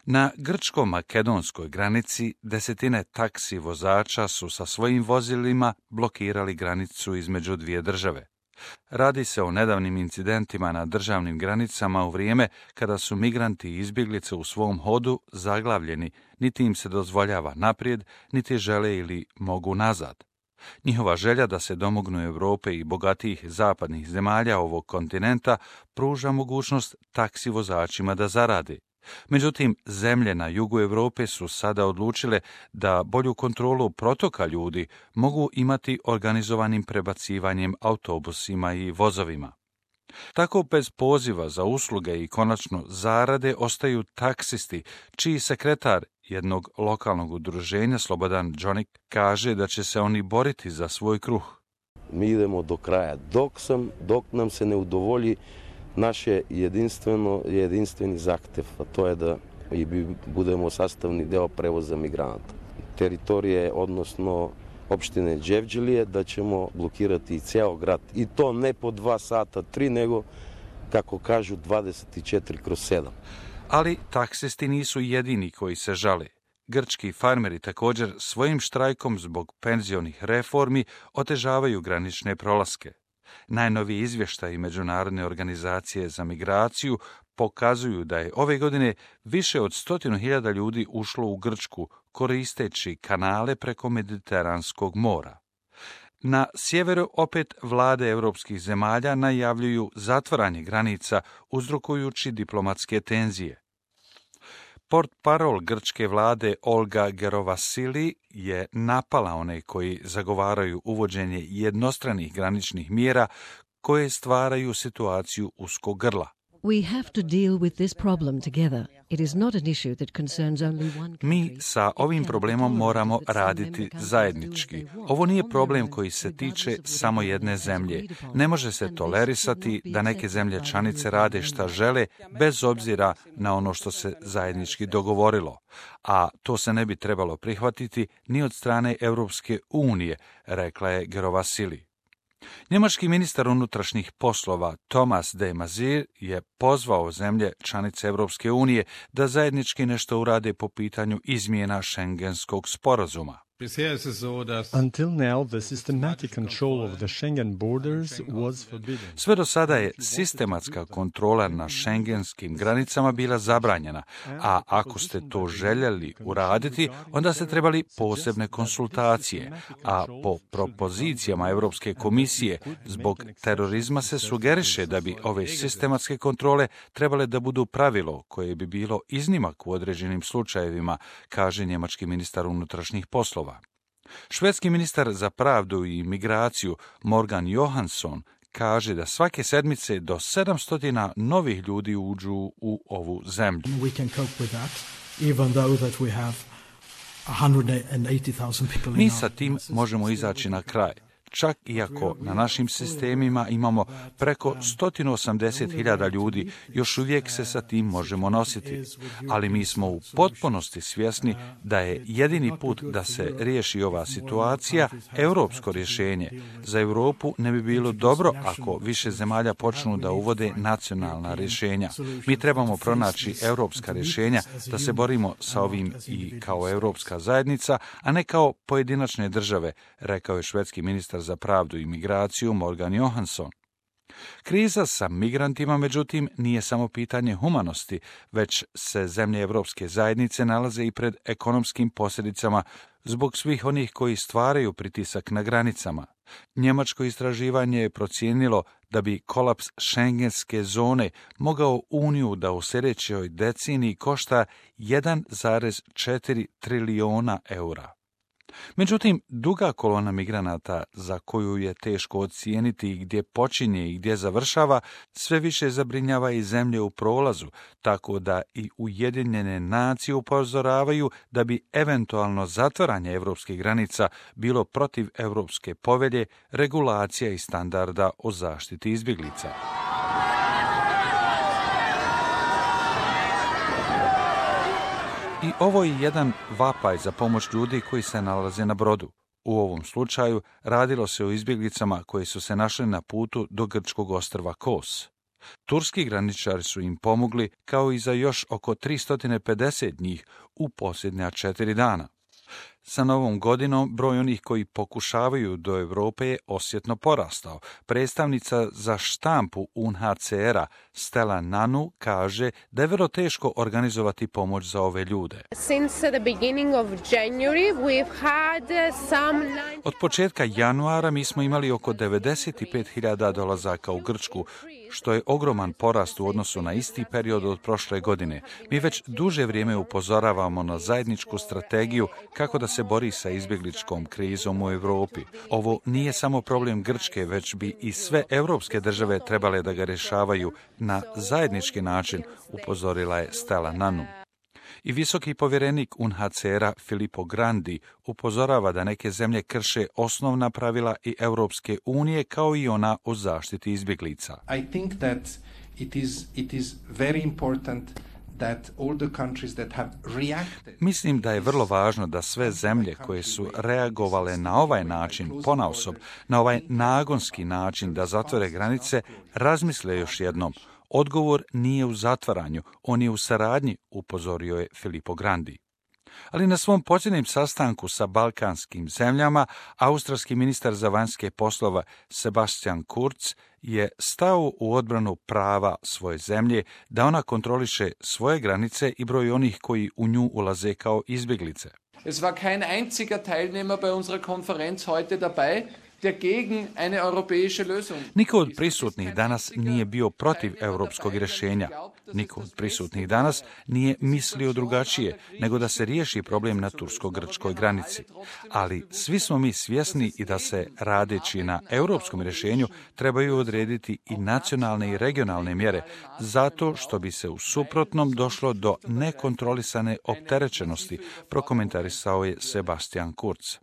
Na grčko-makedonskoj granici desetine taksi vozača su sa svojim vozilima blokirali granicu između dvije države. Radi se o nedavnim incidentima na državnim granicama u vrijeme kada su migranti i izbjeglice u svom hodu zaglavljeni, niti im se dozvoljava naprijed, niti žele ili mogu nazad. Njihova želja da se domognu Europe i bogatijih zapadnih zemalja ovog kontinenta pruža mogućnost taksi vozačima da zarade. Međutim, zemlje na jugu Europe su sada odlučile da bolju kontrolu protoka ljudi mogu imati organizovanim prebacivanjem autobusima i vozovima. Tako bez poziva za usluge i konačno zarade ostaju taksisti, čiji sekretar jednog lokalnog udruženja, Slobodan Džonik, kaže da će se oni boriti za svoj kruh. Mi idemo do kraja, dok nam se ne udovolji naš jedinstveni zahtjev, a to je da budemo sastavni deo prevoza migranata. Teritorije, odnosno opštine Đevđelije, da ćemo blokirati ceo grad. I to ne po 2 sata, 3, nego, kako kažu, 24/7. Ali taksisti nisu jedini koji se žale. Grčki farmeri također svojim štrajkom zbog penzionih reformi otežavaju granične prolaske. Najnoviji izvještaji Međunarodne organizacije za migraciju pokazuju da je ove godine više od 100.000 ljudi ušlo u Grčku koristeći kanale preko Mediteranskog mora. Na sjeveru opet vlade europskih zemalja najavljuju zatvaranje granica uzrokujući diplomatske tenzije. Portparol grčke vlade Olga Gerovasili je napala one koji zagovaraju uvođenje jednostranih graničnih mjera koje stvaraju situaciju uskog grla. We have to deal with this problem together. It is not an issue that concerns only one country. Mi sa ovim problemom moramo raditi zajednički. Ovo nije problem koji se tiče samo jedne zemlje. Ne može se tolerisati da neke zemlje članice rade šta žele bez obzira na ono što se zajednički dogovorilo. A to se ne bi trebalo prihvatiti ni od strane Europske unije, rekla je Gerovasili. Njemački ministar unutrašnjih poslova Thomas de Maizière je pozvao zemlje članice Europske unije da zajednički nešto urade po pitanju izmjena Schengenskog sporazuma. Until now, the systematic control of the Schengen borders was forbidden. Sve do sada je sistematska kontrola na šengenskim granicama bila zabranjena, a ako ste to željeli uraditi, onda ste trebali posebne konsultacije, a po propozicijama Europske komisije zbog terorizma se sugeriše da bi ove sistematske kontrole trebale da budu pravilo koje bi bilo iznimak u određenim slučajevima, kaže njemački ministar unutrašnjih poslova. Švedski ministar za pravdu i migraciju Morgan Johansson kaže da svake sedmice do 700 novih ljudi uđu u ovu zemlju. Mi sa tim možemo izaći na kraj. Čak iako na našim sistemima imamo preko 180.000 ljudi, još uvijek se sa tim možemo nositi. Ali mi smo u potpunosti svjesni da je jedini put da se riješi ova situacija europsko rješenje. Za Europu ne bi bilo dobro ako više zemalja počnu da uvode nacionalna rješenja. Mi trebamo pronaći europska rješenja da se borimo sa ovim i kao europska zajednica, a ne kao pojedinačne države, rekao je švedski ministar za pravdu i migraciju Morgan Johansson. Kriza sa migrantima, međutim, nije samo pitanje humanosti, već se zemlje Europske zajednice nalaze i pred ekonomskim posljedicama zbog svih onih koji stvaraju pritisak na granicama. Njemačko istraživanje je procijenilo da bi kolaps šengenske zone mogao Uniju da u sljedećoj deceniji košta 1,4 trilijona eura. Međutim, duga kolona migranata, za koju je teško ocijeniti gdje počinje i gdje završava, sve više zabrinjava i zemlje u prolazu, tako da i Ujedinjene nacije upozoravaju da bi eventualno zatvaranje europskih granica bilo protiv Europske povelje, regulacija i standarda o zaštiti izbjeglica. I ovo je jedan vapaj za pomoć ljudi koji se nalaze na brodu. U ovom slučaju radilo se o izbjeglicama koji su se našli na putu do grčkog ostrva Kos. Turski graničari su im pomogli, kao i za još oko 350 njih u posljednja 4 dana. Sa novom godinom broj onih koji pokušavaju do Europe je osjetno porastao. Predstavnica za štampu UNHCR-a Stella Nanu kaže da je vrlo teško organizovati pomoć za ove ljude. Od početka januara mi smo imali oko 95.000 dolazaka u Grčku, što je ogroman porast u odnosu na isti period od prošle godine. Mi već duže vrijeme upozoravamo na zajedničku strategiju kako da se bori sa izbjegličkom krizom u Europi. Ovo nije samo problem Grčke, već bi i sve europske države trebale da ga rješavaju na zajednički način, upozorila je Stella Nanu. I visoki povjerenik UNHCR-a Filippo Grandi upozorava da neke zemlje krše osnovna pravila i Europske unije kao i ona o zaštiti izbjeglica. I think that it is very important that all the countries that have reacted. Mislim da je vrlo važno da sve zemlje koje su reagovale na ovaj način, ponaosob, na ovaj nagonski način da zatvore granice, razmisle još jednom. Odgovor nije u zatvaranju, on je u saradnji, upozorio je Filippo Grandi. Ali na svom posljednjem sastanku sa balkanskim zemljama, australski ministar za vanjske poslova Sebastian Kurz je stao u odbranu prava svoje zemlje da ona kontroliše svoje granice i broj onih koji u nju ulaze kao izbjeglice. Es war kein einziger Teilnehmer bei unserer Konferenz heute dabei, der gegen eine europäische Lösung. Niko od prisutnih danas nije bio protiv europskog rješenja. Niko od prisutnih danas nije mislio drugačije, nego da se riješi problem na tursko-grčkoj granici. Ali svi smo mi svjesni i da se, radeći na europskom rješenju, trebaju odrediti i nacionalne i regionalne mjere, zato što bi se u suprotnom došlo do nekontrolisane opterećenosti, prokomentarisao je Sebastian Kurz.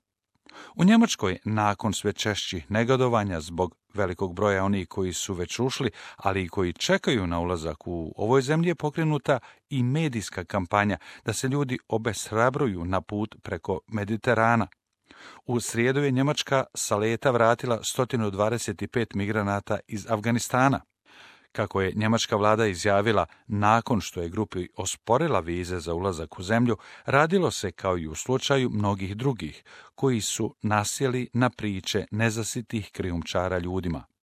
U Njemačkoj, nakon sve češćih negodovanja zbog velikog broja onih koji su već ušli, ali i koji čekaju na ulazak u ovoj zemlji, je pokrenuta i medijska kampanja da se ljudi obeshrabruju na put preko Mediterana. U srijedu je Njemačka sa leta vratila 125 migranata iz Afganistana. Kako je njemačka vlada izjavila nakon što je grupi osporila vize za ulazak u zemlju, radilo se kao i u slučaju mnogih drugih, koji su nasjeli na priče nezasitih krijumčara ljudima.